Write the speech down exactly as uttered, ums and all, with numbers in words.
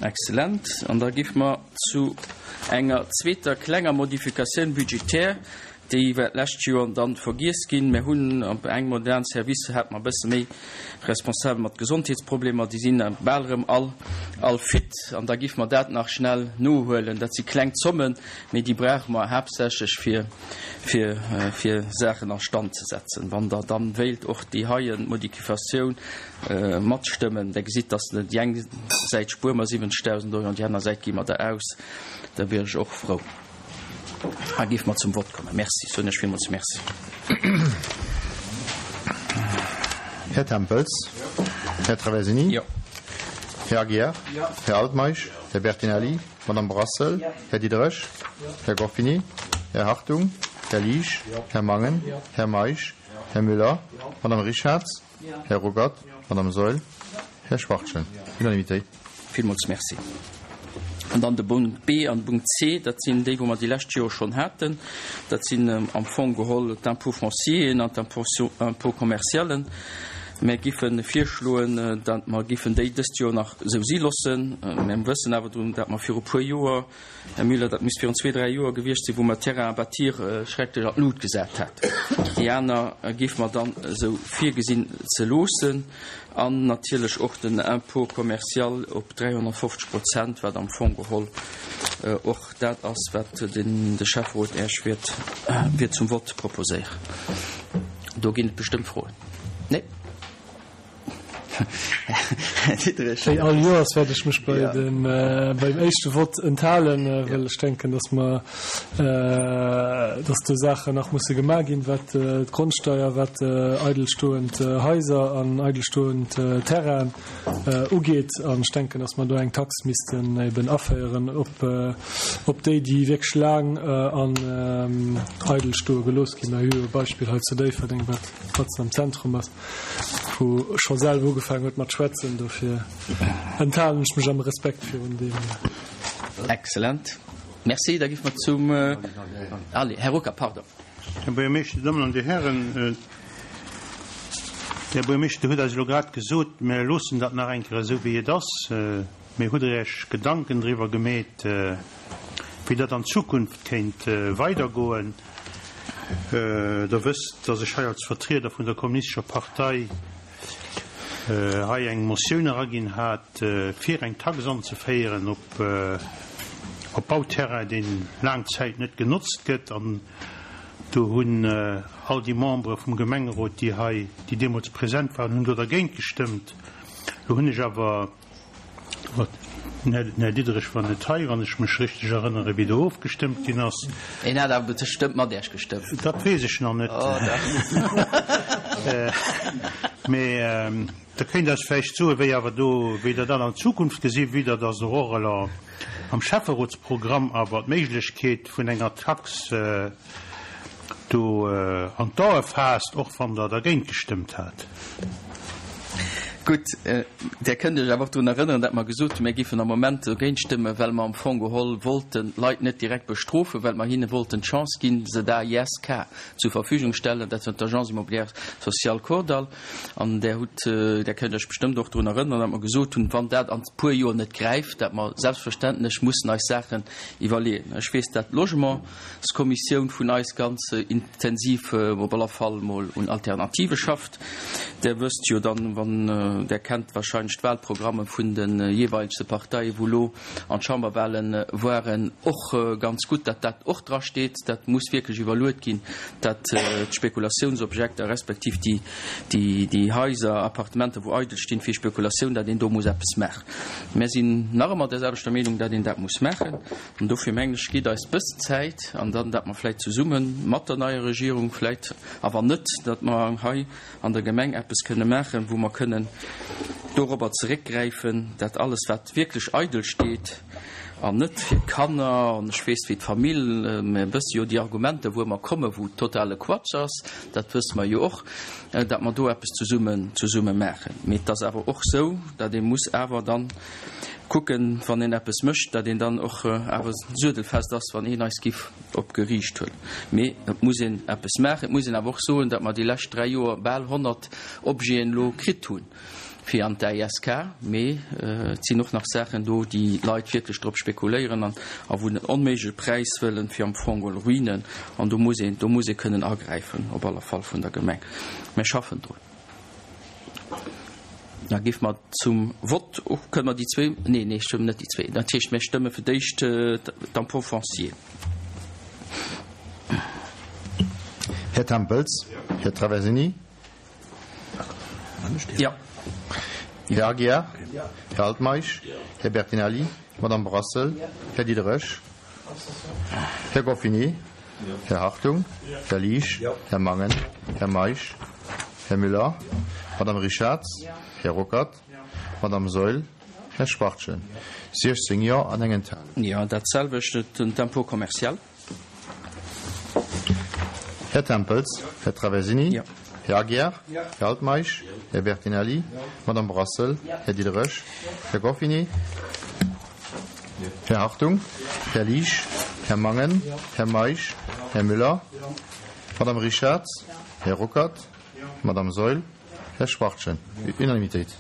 Excellent. An da giffe mer zu enger zweeter klenger Modifikatioun budgétaire, déi war d'lescht Joer dann vergiess ginn. Mir hunn op engem modernen Service hat mer e bësse méi Responsabel mat Gesondheetsproblemer, déi sinn bal erëm all, all fit an da giffe mer dat nach schnell nohuelen. Dat si kleng Zommen, mee déi brauche mer haaptsächlech fir, fir, fir Saachen a Stand ze setzen. Wann Der dann wéilt och déi heien Modifikatioun matstëmmen, da gesitt, dass déi eng Säit spuere mer siwwenzegdausend Euro an déi aner Säit gi mer der aus, da wier ech och frou. A géife mer zum Vott kommen. Merci. Soen ech villmools Merci. Här Tempels. Här Traversini. Jo. Här Aguiar. Här Altmeisch. Här Bertinelli. Madame Brassel. Här Diderich. Här Gorfini. Här Hartung. Här Liesch. Här Mangen. Här Meisch. Här Müller. Madame Richarz. Här Ruckert. Madame Saeul. Här Schwachtgen. Unanimité. Villmools Merci. An dann de Punkt B an de Punkt C, dat sinn déi, wou mer déi lescht Joer schonn haten. Dat sinn am Fong geholl d'Impôt foncieren an d'Impôt commercialen. Mir giffe virschloen, datt mer giffen déi dëst Joer nach esou si loossen. Mir wëssen awer drun, datt mer viru puer Joer, Här Müller, dat misst virun zwee, dräi Joer gewiescht sinn, wou mer Terrain à bâtir schrecklech an d'Lut gesat haten. Déi aner géife mer dann esou virgesinn ze loossen. An natierlech och den Impôt commercial op dräihonnertfofzeg Prozent, wat am Fong geholl och dat ass, wat de Schäfferot Iech wäert, wäert zum Vott proposéieren. Do ginn et bestëmmt Froen. Nee? Här Diderich. Wéi all Joers wäert ech mech bei dem, beim éischte Vott enthalen, well ech denken, dass mer, dass do Saachen nach musse gemaach ginn, wat d'Grondsteier, wat eidelstoend Haiser an eidelstoend Terrainen ugeet. An ech denken, dass mer do eng Tax missten eben aféieren op, op déi, déi wierklech laang an eidel stoe gelooss ginn. Mer hu jo e Beispill hei zu Déifferdeng, wat matzen am Zentrum ass, wou scho selwer ugefaangen huet mat schwätzen. Dofir enthalen ech mech am Respekt virun deem. Excellent. Merci. Da gi mer zum, allez, Här Ruckert, pardon. Här Buergermeeschter, Dir Dammen an Dir Hären, Här Buergermeeschter, Dir hutt eis elo grad gesot, mir loossen dat nach eng Kéier esou wéi et ass. Mee hutt Der Iech Gedanken driwwer gemeet, wéi dat an Zukunft kéint weidergoen? Der wësst, dass ech hei als Vertrieder vun der Kommunistescher Partei hei eng Motioun eraginn hat, fir eng Tax anzeféieren op op Bauterrain, deen laang Zäit net genotzt gëtt. An do hunn all déi Membere vum Gemengerot, déi hei, déi deemools present waren, hunn do dergéint gestëmmt. Lo hunn ech awer, den Här Diderich war net hei, wann ech mech richteg erënnere wéi do ofgestëmmt ginn ass. Hien hat awer bestëmmt mat Iech gestëmmt. Dat weess ech nach net. Oh dach. Mee Der kéint eis vläicht soen, wéi awer do, wéi Der dat an Zukunft gesi, wéi Der dass och elo am Schäfferotsprogramm awer d'Méiglechkeet vun enger Tax do an d'Ae faasst, och wann Der dergéint gestëmmt hat. Gutt, Där kënnt Iech awer och drun erënneren, datt mer gesot hunn, mir géifen am Moment dogéint stëmmen, well mer am Fong geholl wollten d'Leit net direkt bestrofen, well mer hinne wollten d'Chance ginn, se d'A I S K zur Verfügung stellen, dat war d'Agence immobilière sociale Kordall. An Där hutt, Där kënnt Iech bestëmmt och drun erënneren, datt mer gesot hunn, wann dat an e puer Joer net gräift, datt mer selbstverständlech mussen eis Saachen iwwerleeën. Ech weess, datt d'Logementskommissioun vun eis ganz intensiv op alle Fall mol un Alternative schafft. Där wësst jo dann, wann Der kennt wahrscheinlech d'Wahlprogramme vun de jeeweilege Parteien, wou lo an d'Chamberwahlen waren, och ganz gutt, datt dat och drasteet. Dat muss wierklech iwwerluet ginn, datt d'Spekulationsobjekter respektiv déi, déi, déi Haiser, Appartementer, wou eidel stinn fir Spekulatioun, datt een do muss eppes maachen. Mär sinn nach ëmmer där selwechter Meenung, datt een dat muss maachen. An dofir mengen ech, gitt eis bëssen Zäit an dann, datt mer vläicht zesumme mat der neier Regierung vläicht, a wann net, datt mer hei an der Gemeng eppes kënne maachen, wou mer kënnen dorobber zeréckgräifen, dat alles, wat wierklech eidel steet an net fir d'Kanner an ech weess wéi d'Famill, mir wësse jo déi Argumenter, wou ëmmer kommen, wou totale Quatsch ass, dat wësse mer jo och, dat mer do eppes zesummen, zesumme maachen. Mee et ass awer och esou, dat ee muss awer dann kucken, wann een eppes mécht, dat een dann och awer suedelfest ass, wann een eis giff op Geriicht huelen. Mee et muss een eppes maachen. Et muss een awer och soen, datt mer déi lescht dräi Joer bal honnert Objeten elo kritt hunn. fir an d'AISK, mee et sinn och nach Saachen do, déi Leit wierklech drop spekuléieren an a wou den onméigleche Präis wëllen, fir am Fong geholl Ruinen, an do muss een, do muss ee kënnen agräifen, op alle Fall vun der Gemeng. Mir schaffen drun. Da géife mer zum Vott, och kënne mer déi zwee, nee, nee, stëmmen net déi zwee, dat heescht, mir stëmme fir d'éischt d'impôt foncier. Här Tempels, Här Traversini. Ja. Här Aguiar, Här Altmeisch, Här Bertinelli, Madame Brassel, Här Diderich, Här Goffinet, Här Hartung, Här Liesch, Här Mangen, Här Meisch, Här Müller, Madame Richarz, Här Ruckert, Madame Saeul, Här Schwachtgen. Siechzéng Jo an eng Enthalung. Jo, dat selwecht den D'impôt commercial. Här Tempels, Här Traversini, Här Aguiar, Här Altmeisch, Här Bertinelli, Madame Brassel, Här Diderich, Här Goffinet, Här Hartung, Här Liesch, Här Mangen, Här Meisch, Här Müller, Madame Richarz, Här Ruckert, Madame Saeul, Här Schwachtgen. Unanimitéit.